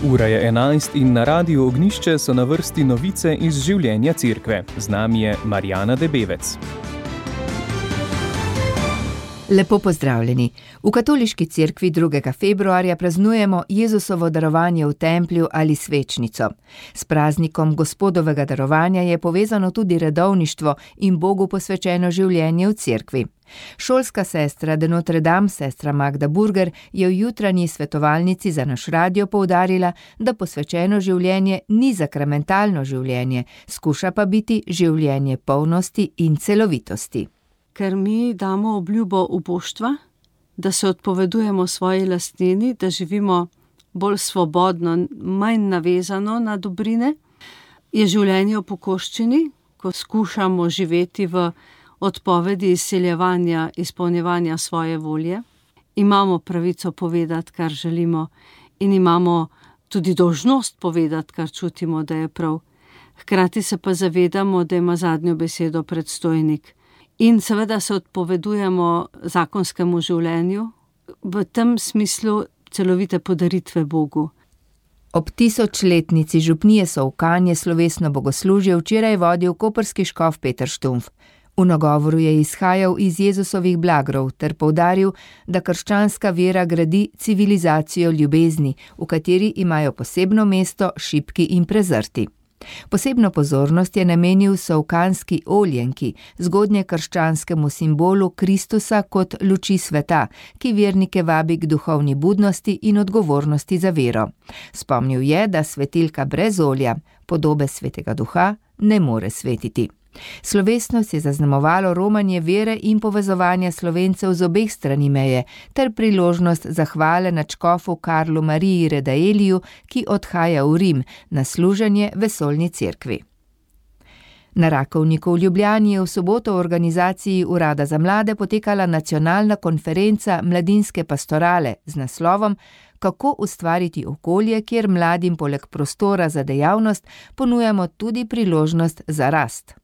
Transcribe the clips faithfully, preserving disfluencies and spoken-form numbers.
Ura je enajst in na Radiu Ognjišče so na vrsti novice iz življenja cerkve. Z nami je Marjana Debevec. Lepo pozdravljeni. V katoliški cerkvi drugega februarja praznujemo Jezusovo darovanje v templju ali svečnico. S praznikom Gospodovega darovanja je povezano tudi redovništvo in Bogu posvečeno življenje v cerkvi. Šolska sestra de Notre Dame, sestra Magda Burger, je v jutranji svetovalnici za naš radio poudarila, da posvečeno življenje ni sakramentalno življenje, skuša pa biti življenje polnosti in celovitosti. Ker mi damo obljubo uboštva, da se odpovedujemo svoji lastnini, da živimo bolj svobodno, manj navezano na dobrine, je življenje v pokoščini, ko skušamo živeti v odpovedi izsiljevanja, izpolnjevanja svoje volje. Imamo pravico povedati, kar želimo, in imamo tudi dolžnost povedati, kar čutimo, da je prav. Hkrati se pa zavedamo, da ima zadnjo besedo predstojnik. In seveda se odpovedujemo zakonskemu življenju, v tem smislu celovite podaritve Bogu. Ob tisočletnici župnije Solkan je slovesno bogoslužje včeraj vodil koprski škof Peter Štumpf. V nagovoru je izhajal iz Jezusovih blagrov ter poudaril, da krščanska vera gradi civilizacijo ljubezni, v kateri imajo posebno mesto šibki in prezrti. Posebno pozornost je namenil solkanski oljenki, zgodnje krščanskemu simbolu Kristusa kot luči sveta, ki vernike vabi k duhovni budnosti in odgovornosti za vero. Spomnil je, da svetilka brez olja, podobe svetega duha, ne more svetiti. Slovesnost je zaznamovalo romanje vere in povezovanja Slovencev z obeh strani meje ter priložnost zahvale nadškofu Karlu Mariji Redaeliju, ki odhaja v Rim na služenje vesoljni cerkvi. Na Rakovniku v Ljubljani je v soboto v organizaciji Urada za mlade potekala nacionalna konferenca Mladinske pastorale z naslovom Kako ustvariti okolje, kjer mladim poleg prostora za dejavnost ponujamo tudi priložnost za rast.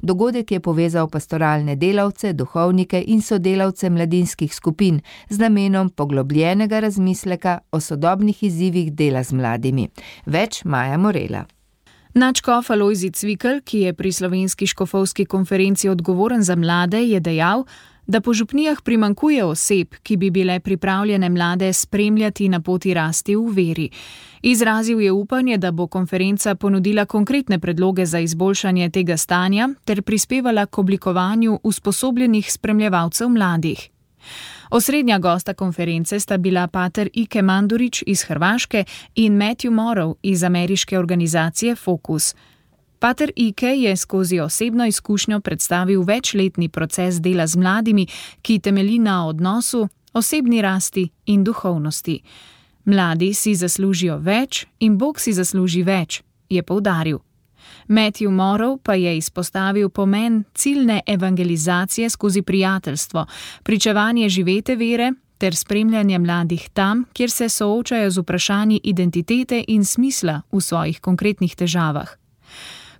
Dogodek je povezal pastoralne delavce, duhovnike in sodelavce mladinskih skupin z namenom poglobljenega razmisleka o sodobnih izzivih dela z mladimi. Več Maja Morela. Nadškof Alojzij Cvikl, ki je pri slovenski škofovski konferenci odgovoren za mlade, je dejal, da po župnijah primanjkuje oseb, ki bi bile pripravljene mlade spremljati na poti rasti v veri. Izrazil je upanje, da bo konferenca ponudila konkretne predloge za izboljšanje tega stanja ter prispevala k oblikovanju usposobljenih spremljevalcev mladih. Osrednja gosta konference sta bila pater Ike Mandurić iz Hrvaške in Matthew Morrow iz ameriške organizacije Focus. Pater Ike je skozi osebno izkušnjo predstavil večletni proces dela z mladimi, ki temelji na odnosu, osebni rasti in duhovnosti. Mladi si zaslužijo več in Bog si zasluži več, je poudaril. Matthew Morrow pa je izpostavil pomen ciljne evangelizacije skozi prijateljstvo, pričevanje živete vere ter spremljanje mladih tam, kjer se soočajo z vprašanji identitete in smisla v svojih konkretnih težavah.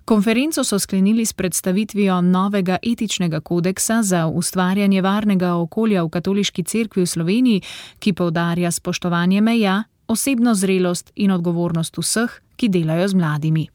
Konferenco so sklenili s predstavitvijo novega etičnega kodeksa za ustvarjanje varnega okolja v katoliški cerkvi v Sloveniji, ki poudarja spoštovanje meja, osebno zrelost in odgovornost vseh, ki delajo z mladimi.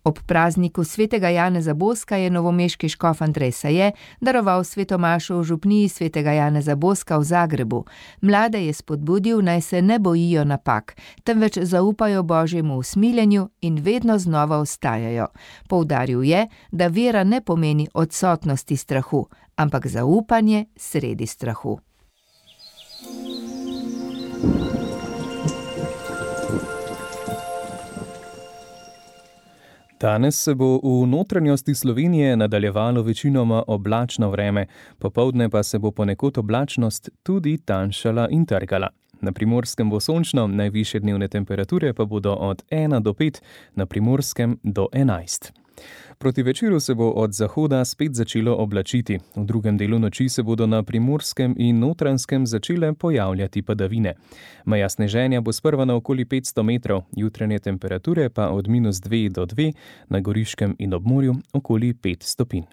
Ob prazniku svetega Janeza Boska je novomeški škof Andrej Saje daroval svetomašo v župniji svetega Janeza Boska v Zagrebu. Mlade je spodbudil, naj se ne bojijo napak, temveč zaupajo Božjemu usmiljenju in vedno znova vstajajo. Poudaril je, da vera ne pomeni odsotnosti strahu, ampak zaupanje sredi strahu. Danes se bo v notranjosti Slovenije nadaljevalo večinoma oblačno vreme, popoldne pa se bo ponekod oblačnost tudi tanjšala in trgala. Na Primorskem bo sončno, najvišje dnevne temperature pa bodo od ena do pet, na Primorskem do enajst. Proti večeru se bo od zahoda spet začelo oblačiti. V drugem delu noči se bodo na Primorskem in Notranjskem začele pojavljati padavine. Meja sneženja bo sprva na okoli petsto metrov, jutranje temperature pa od minus dve do dve, na Goriškem in ob morju okoli pet stopinj.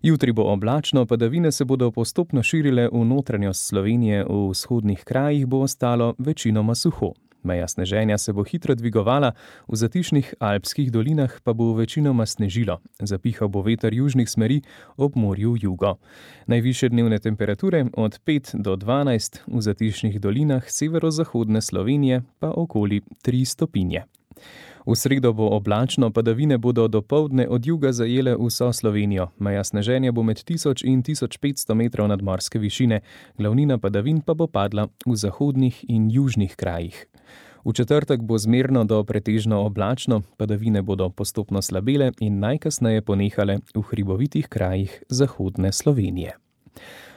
Jutri bo oblačno, padavine se bodo postopno širile v notranjost Slovenije, v vzhodnih krajih bo ostalo večinoma suho. Meja sneženja se bo hitro dvigovala, v zatišnih alpskih dolinah pa bo večinoma snežilo. Zapihal bo veter južnih smeri, ob morju jugo. Najvišje dnevne temperature od pet do dvanajst, v zatišnih dolinah severozahodne Slovenije pa okoli tri stopinje. V sredo bo oblačno, padavine bodo dopoldne od juga zajele vso Slovenijo. Meja sneženja bo med tisoč in tisoč petsto metrov nadmorske višine, glavnina padavin pa bo padla v zahodnih in južnih krajih. V četrtek bo zmerno do pretežno oblačno, padavine bodo postopno slabele in najkasneje ponehale v hribovitih krajih zahodne Slovenije.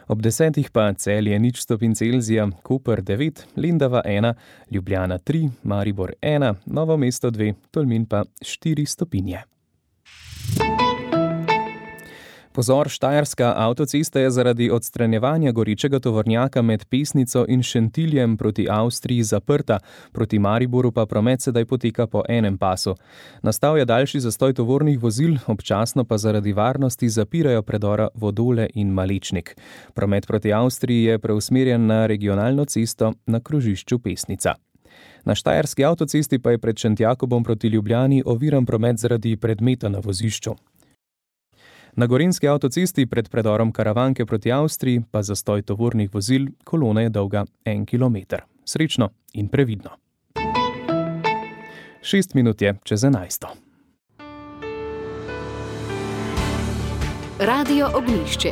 Ob desetih pa Celje nič stopinj Celzija, Koper devet, Lendava ena, Ljubljana tri, Maribor ena, Novo mesto dve, Tolmin pa štiri stopinje. Pozor, štajerska avtocesta je zaradi odstranjevanja gorečega tovornjaka med Pesnico in Šentiljem proti Avstriji zaprta, proti Mariboru pa promet sedaj poteka po enem pasu. Nastal je daljši zastoj tovornih vozil, občasno pa zaradi varnosti zapirajo predora Vodole in Malečnik. Promet proti Avstriji je preusmerjen na regionalno cesto na krožišču Pesnica. Na štajerski avtocesti pa je pred Šentjakobom proti Ljubljani oviran promet zaradi predmeta na vozišču. Na gorenjski avtocesti pred predorom Karavanke proti Avstriji pa zastoj tovornih vozil, kolona je dolga en kilometer. Srečno in previdno. Šest minut je čez enajsto. Radio Ognjišče.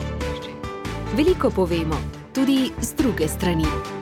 Veliko povemo, tudi z druge strani.